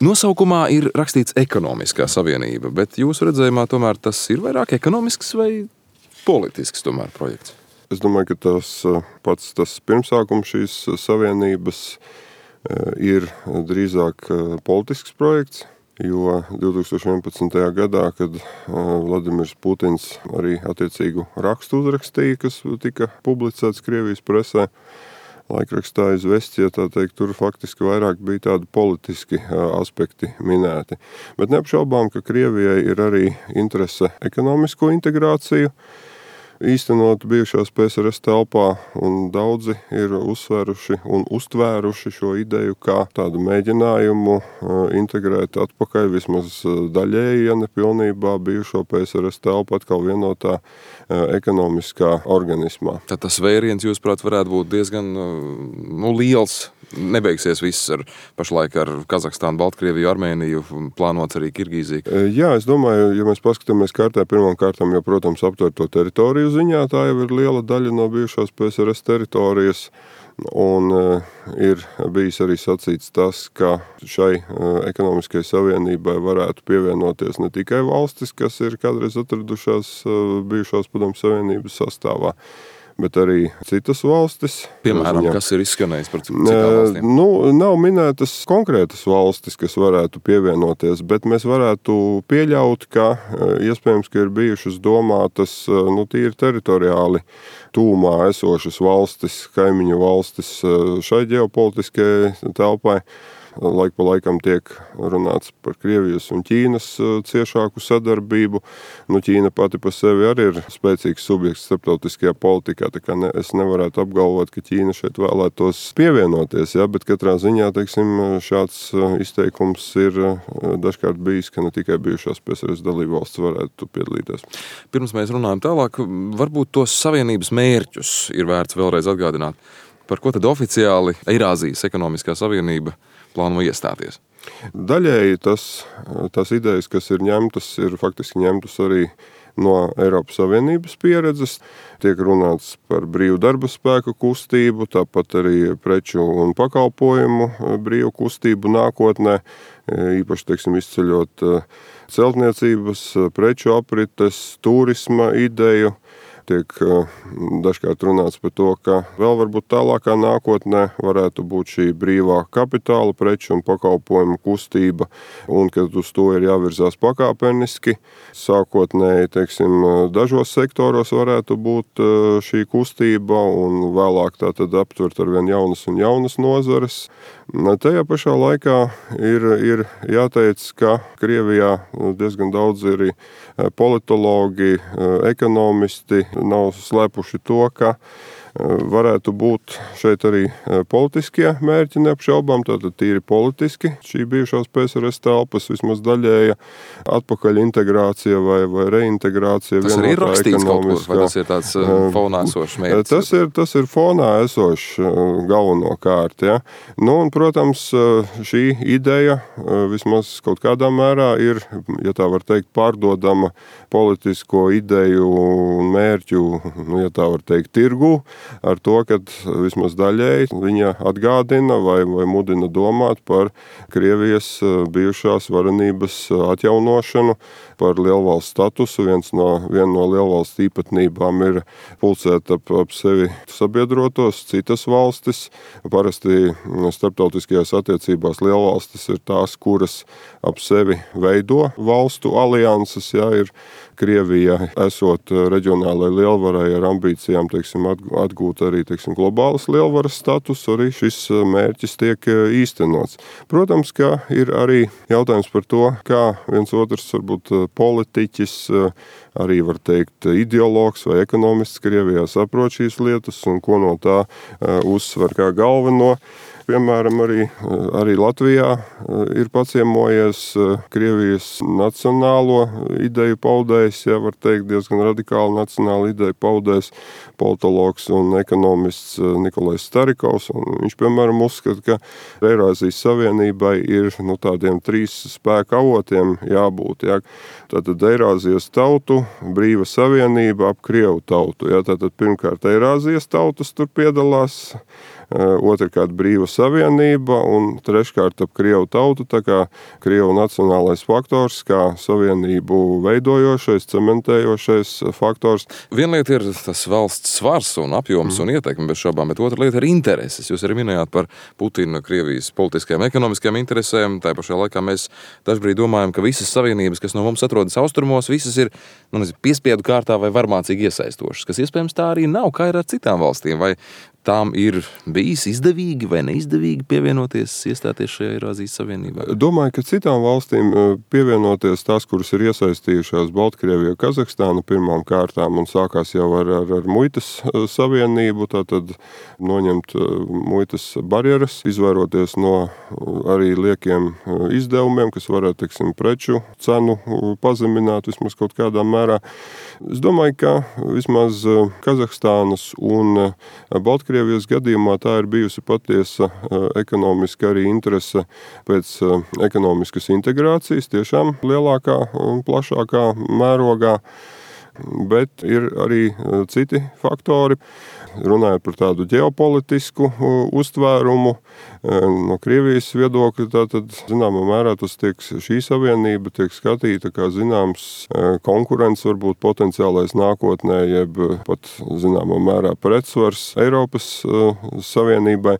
Nosaukumā ir rakstīts ekonomiskā savienība, bet jūsu redzējumā tomēr tas ir vairāk ekonomisks vai politisks tomēr projekts? Es domāju, ka tas pirmsākums šīs savienības ir drīzāk politisks projekts, jo 2011. gadā, kad Vladimirs Putins arī attiecīgu rakstu uzrakstīja, kas tika publicēts Krievijas presē, laikrakstā Izvestija, tā teikt, tur faktiski vairāk bija tādi politiski aspekti minēti. Bet neapšaubām, ka Krievijai ir arī interese ekonomisko integrāciju īstenot bijušās PSRS telpā, un daudzi ir uzsvēruši un uztvēruši šo ideju kā tādu mēģinājumu integrēt atpakaļ vismaz daļēji, ja ne pilnībā, bijušo PSRS telpu atkal vienotā ekonomiskā organismā. Tad tas vēriens, jūsuprāt, varētu būt diezgan liels. Nebeigsies viss pašlaik ar Kazahstānu, Baltkrieviju, Armēniju, plānots arī Kirgīziju. Jā, es domāju, ja mēs paskatāmies kartē, pirmām kārtām jau, protams, aptver to teritoriju ziņā, tā jau ir liela daļa no bijušās PSRS teritorijas, un ir bijis arī sacīts tas, ka šai ekonomiskajai savienībai varētu pievienoties ne tikai valstis, kas ir kādreiz atradušās bijušās Padomju Savienības sastāvā, bet arī citas valstis. Piemēram, kas ir izskanējis par citām valstīm? Nav minētas konkrētas valstis, kas varētu pievienoties, bet mēs varētu pieļaut, ka iespējams, ka ir bijušas domātas tīri teritoriāli tūmā esošas valstis, kaimiņu valstis šai ģeopolitiskajai telpai. Laik pa laikam tiek runāts par Krievijas un Ķīnas ciešāku sadarbību. Ķīna pati pa sevi arī ir spēcīgs subjekts starptautiskajā politikā, tā kā es nevarētu apgalvot, ka Ķīna šeit vēlētos pievienoties, bet katrā ziņā, teiksim, šāds izteikums ir dažkārt bijis, ka ne tikai bijušās PSRS dalībvalstis varētu piedalīties. Pirms mēs runājam tālāk, varbūt tos savienības mērķus ir vērts vēlreiz atgādināt. Par ko tad oficiāli Eirāzijas ekonomiskā savienība plāno iestāties? Daļēji tās idejas, kas ir ņemtas, ir faktiski ņemtas arī no Eiropas Savienības pieredzes. Tiek runāts par brīvu darba spēku kustību, tāpat arī preču un pakalpojumu brīvu kustību nākotnē, īpaši, teiksim, izceļot celtniecības, preču aprites, turisma ideju. Tiek dažkārt runāts par to, ka vēl varbūt tālākā nākotnē varētu būt šī brīvā kapitāla, preču un pakalpojumu kustība, un ka uz to ir jāvirzās pakāpeniski. Sākotnēji, teiksim, dažos sektoros varētu būt šī kustība, un vēlāk tā tad aptvert ar vien jaunas un jaunas nozares. Tajā pašā laikā ir jāteic, ka Krievijā diezgan daudz ir politologi, ekonomisti, nav slēpuši to, ka varētu būt šeit arī politiskie mērķi neapšaubām, tātad tīri politiski šī bijušās PSRS telpas vismaz daļēja atpakaļ integrācija vai reintegrācija. Tas arī ir rakstīts kaut kur, vai tas ir tāds fonā esošs mērķis? Tas ir fonā esošs galvenokārt, ja. Un, protams, šī ideja vismaz kaut kādā mērā ir, ja tā var teikt, pārdodama politisko ideju un mērķu, ja tā var teikt, tirgu, ar to, ka vismaz daļēji viņa atgādina vai mudina domāt par Krievijas bijušās varenības atjaunošanu, par lielvalsts statusu. Viena no lielvalsts īpatnībām ir pulcēt ap sevi sabiedrotos citas valstis. Parasti starptautiskajās attiecībās lielvalstis ir tās, kuras ap sevi veido valstu alianses, ir Krievija esot reģionālai lielvarai ar ambīcijām, teiksim, atgūt arī, teiksim, globālas lielvaras status, arī šis mērķis tiek īstenots. Protams, ka ir arī jautājums par to, kā viens otrs varbūt politiķis, arī var teikt ideologs vai ekonomists Krievijā saprot šīs lietas un ko no tā uzsver kā galveno. Piemēram, arī Latvijā ir paciemojies Krievijas nacionālo ideju paudējs, var teikt, diezgan radikāli nacionālu ideju paudējs politologs un ekonomists Nikolais Starikovs. Viņš, piemēram, uzskata, ka Eirāzijas Savienībai ir tādiem 3 spēka avotiem jābūt. Tātad Eirāzijas tautu, brīva savienība ap Krievu tautu. Tātad pirmkārt Eirāzijas tautas tur piedalās, otrkārt brīva savienība un treškārt ap Krievu tautu, tā kā Krievu nacionālais faktors, kā savienību veidojošais, cementējošais faktors. Viena lieta ir tas valsts svars un apjoms un ietekme bez šaubām, bet otra lieta ir intereses. Jūs arī minējāt par Putina, Krievijas politiskajām, ekonomiskajām interesēm. Tā pašā laikā mēs dažbrīd domājam, ka visas savienības, kas no mums atrodas austrumos, visas ir piespiedu kārtā vai varmācīgi iesaistošas, kas iespējams tā arī nav, kā ir ar citām valstīm. Vai tām ir bijis izdevīgi vai neizdevīgi pievienoties, iestāties šajā Eirāzijas Savienībā? Domāju, ka citām valstīm pievienoties tās, kuras ir iesaistījušās Baltkrievija, Kazahstāna pirmām kārtām un sākās jau ar muitas savienību, tātad noņemt muitas barjeras, izvairoties no arī liekiem izdevumiem, kas varētu, teiksim, preču cenu pazemināt vismaz kaut kādā mērā. Es domāju, ka vismaz Kazahstānas un Baltkrievijas gadījumā tā ir bijusi patiesa ekonomiska arī interese pēc ekonomiskas integrācijas, tiešām lielākā un plašākā mērogā, bet ir arī citi faktori. Runājot par tādu ģeopolitisku uztvērumu, no Krievijas viedokļa, tātad zināmā mērā šī savienība tiek skatīta kā zināms konkurents, varbūt potenciālais nākotnē, jeb pat zināmā mērā pretsvars Eiropas Savienībai.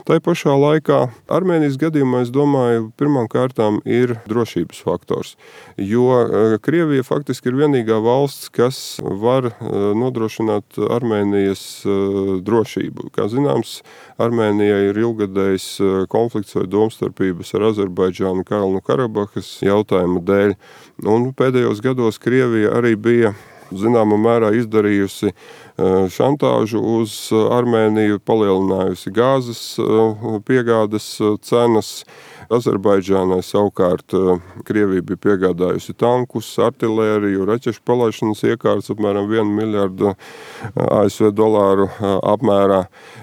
Tai pašā laikā Armēnijas gadījumā, es domāju, pirmām kārtām ir drošības faktors, jo Krievija faktiski ir vienīgā valsts, kas var nodrošināt Armēnijas drošību. Kā zināms, Armēnijai ir ilgadējs konflikts vai domstarpības ar Azerbaidžānu Kalnu Karabahas jautājuma dēļ. Un pēdējos gados Krievija arī bija zināmā mērā izdarījusi šantāžu uz Armēniju, palielinājusi gāzes piegādes cenas. Azerbaidžānai savukārt Krievija bija piegādājusi tankus, artilēriju, raķešu palaišanas iekārtas apmēram 1 miljardu ASV dolāru apmērā.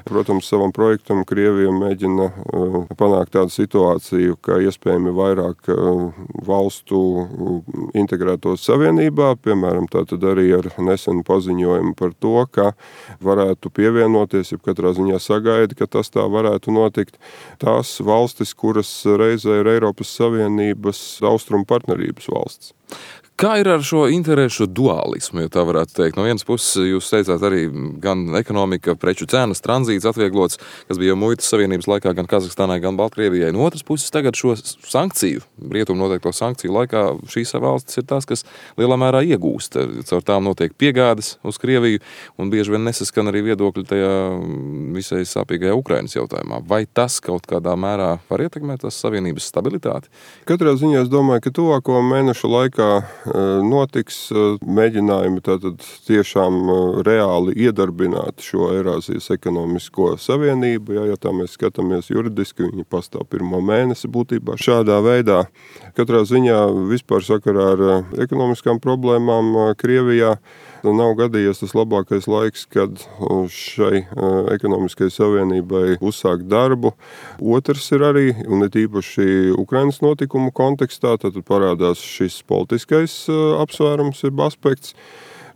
Protams, savam projektam Krievija mēģina panākt tādu situāciju, ka iespējami vairāk valstu integrētos savienībā, piemēram, tātad arī ar nesenu paziņojumu par to, ka varētu pievienoties, ja katrā ziņā sagaida, ka tas tā varētu notikt. Tās valstis, kuras reizē ir Eiropas Savienības austrumu partnerības valsts. Kā ir ar šo interešu dualismu, ja tā varētu teikt? No vienas puses, jūs teicāt arī gan ekonomika, preču cenas, tranzīts atvieglots, kas bija jau muitas savienības laikā gan Kazahstānai, gan Baltkrievijai. No otras puses, tagad šo sankciju, rietumu noteikto sankciju laikā šīs valstis ir tās, kas lielā mērā iegūst. Caur tām notiek piegādes uz Krieviju un bieži vien nesaskan arī viedokļi tajā visai sāpīgajā Ukrainas jautājumā. Vai tas kaut kādā mērā var ietekmēt tās savienības stabilitāti? Katrā ziņā es domāju, ka tuvāko mēnešu laikā notiks mēģinājumi tātad tiešām reāli iedarbināt šo Eirāzijas ekonomisko savienību. Ja tā mēs skatāmies juridiski, viņi pastāv 1. mēnesi būtībā šādā veidā. Katrā ziņā vispār sakarā ar ekonomiskām problēmām Krievijā nav gadījies tas labākais laiks, kad šai ekonomiskai savienībai uzsākt darbu. Otrs ir arī, un it īpaši Ukrainas notikumu kontekstā, tad parādās šis politiskais apsvērums, ir aspekts,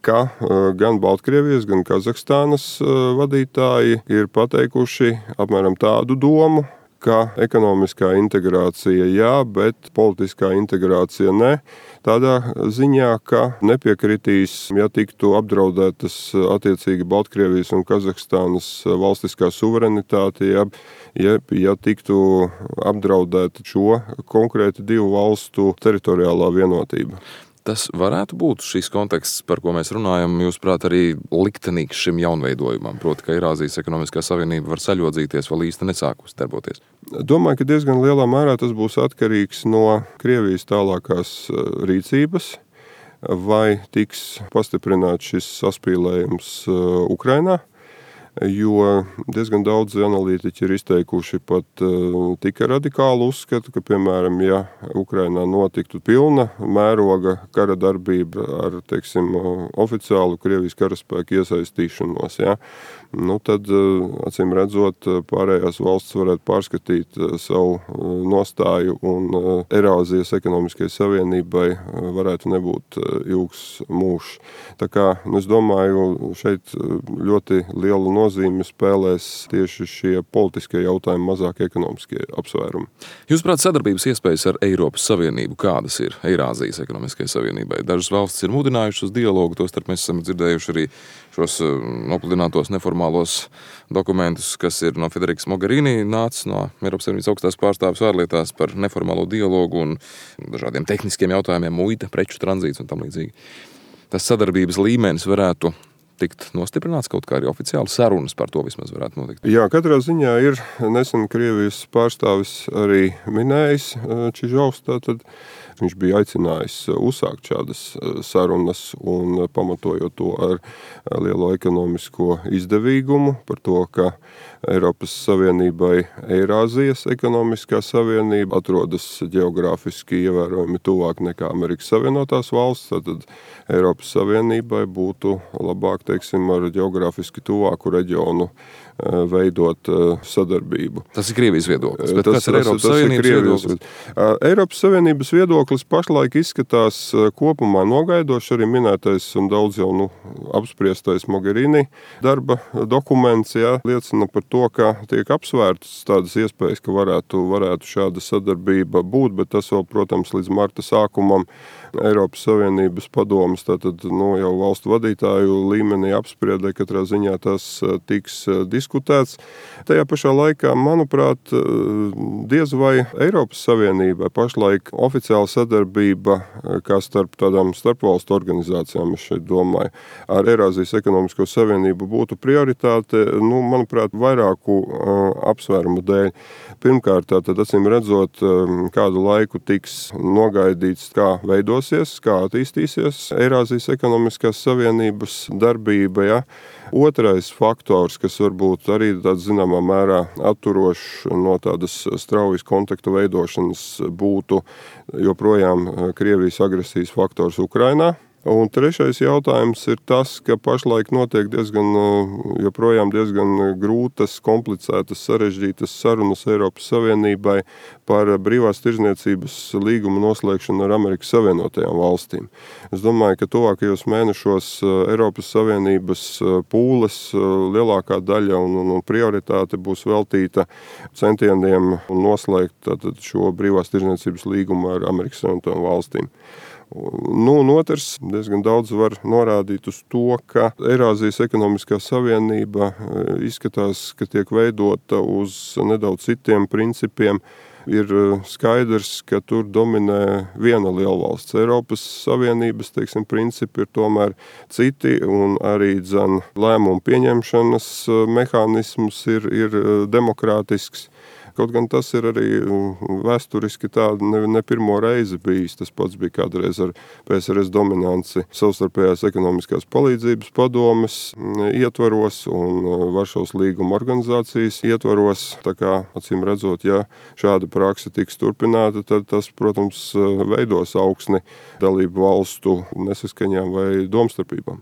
ka gan Baltkrievijas, gan Kazahstānas vadītāji ir pateikuši apmēram tādu domu, ka ekonomiskā integrācija jā, bet politiskā integrācija ne. Tādā ziņā, ka nepiekritīs, ja tiktu apdraudētas attiecīgi Baltkrievijas un Kazahstānas valstiskā suverenitāte, ja tiktu apdraudēta šo konkrēti divu valstu teritoriālā vienotība. Tas varētu būt šis konteksts, par ko mēs runājam, jūsuprāt, arī liktenīgs šim jaunveidojumam, proti, ka Eirāzijas ekonomiskā savienība var saļodzīties vēl īsti nesākus darboties? Domāju, ka diezgan lielā mērā tas būs atkarīgs no Krievijas tālākās rīcības, vai tiks pastiprināts šis saspīlējums Ukrainā, jo diezgan daudz analītiķi ir izteikuši pat tika radikālu uzskatu, ka, piemēram, ja Ukrainā notiktu pilna mēroga kara darbība ar, teiksim, oficiālu Krievijas karaspēku iesaistīšanos, tad, acīm redzot, pārējās valsts varētu pārskatīt savu nostāju un Eirāzijas ekonomiskai savienībai varētu nebūt ilgs mūžs. Tā kā, es domāju, šeit ļoti lielu nozīmi spēlēs tieši šie politiskie jautājumi, mazāk ekonomiskie apsvērumi. Jūsuprāt, sadarbības iespējas ar Eiropas Savienību kādas ir Eirāzijas ekonomiskajai savienībai? Dažas valstis ir mudinājušas uz dialogu, tostarp mēs esam dzirdējuši arī šos nopludinātos neformālos dokumentus, kas ir no Federikas Mogherini nācis no Eiropas Savienības augstās pārstāves ārlietās par neformālo dialogu un dažādiem tehniskiem jautājumiem, muita, preču tranzīts un tam līdzīgi. Tas sadarbības līmenis varētu tikt nostiprināts kaut kā arī oficiāli sarunas par to vismaz varētu notikt. Jā, katrā ziņā ir nesen Krievijas pārstāvis arī minējis Čižovs, tātad viņš bija aicinājis uzsākt šādas sarunas un pamatojot to ar lielo ekonomisko izdevīgumu par to, ka Eiropas Savienībai Eirāzijas ekonomiskā savienība atrodas ģeogrāfiski ievērojami tuvāk nekā Amerikas Savienotās valsts, tad Eiropas Savienībai būtu labāk, teiksim, ar ģeogrāfiski tuvāku reģionu veidot sadarbību. Tas ir Krievijas viedoklis, bet kas ir Eiropas Savienības viedoklis? Eiropas Savienības viedoklis pašlaik izskatās kopumā nogaidoši, arī minētais un daudz jau apspriestais Mogherini darba dokuments, liecina par to, ka tiek apsvērtas tādas iespējas, ka varētu šāda sadarbība būt, bet tas vēl, protams, līdz marta sākumam Eiropas Savienības padomes, tātad jau valstu vadītāju līmenī apspriedē, katrā ziņā tas tiks diskutēts. Tajā pašā laikā, manuprāt, diez vai Eiropas Savienībai pašlaik oficiāla sadarbība, kā starp tādām starpvalstu organizācijām, es šeit domāju, ar Eirāzijas ekonomisko savienību būtu prioritāte, manuprāt, vairāku apsvērumu dēļ. Pirmkārt, tātad acīm redzot, kādu laiku tiks nogaidīts, kā veidosies, kā attīstīsies Eirāzijas ekonomiskās savienības darbība. Otrais faktors, kas varbūt arī tāds zināmā mērā atturošs no tādas straujas kontaktu veidošanas, būtu joprojām Krievijas agresijas faktors Ukrainā. Un trešais jautājums ir tas, ka pašlaik notiek joprojām diezgan grūtas, komplicētas, sarežģītas sarunas Eiropas Savienībai par brīvās tirdzniecības līgumu noslēgšanu ar Amerikas Savienotajām valstīm. Es domāju, ka tuvākajos mēnešos Eiropas Savienības pūles lielākā daļa un prioritāte būs veltīta centieniem noslēgt šo brīvās tirdzniecības līgumu ar Amerikas Savienotajām valstīm. Un otrs, diezgan daudz var norādīt uz to, ka Eirāzijas ekonomiskā savienība izskatās, ka tiek veidota uz nedaudz citiem principiem. Ir skaidrs, ka tur dominē viena lielvalsts. Eiropas Savienības, principi ir tomēr citi, un arī lēmumu pieņemšanas mehānisms ir demokrātisks. Kaut gan tas ir arī vēsturiski tā ne pirmo reizi bijis. Tas pats bija kādreiz ar PSRS dominanci savstarpējās ekonomiskās palīdzības padomes ietvaros un Varšavas līguma organizācijas ietvaros. Tā kā, acīm redzot, ja šāda prakse tiks turpināta, tad tas, protams, veidos augsni dalību valstu nesaskaņām vai domstarpībām.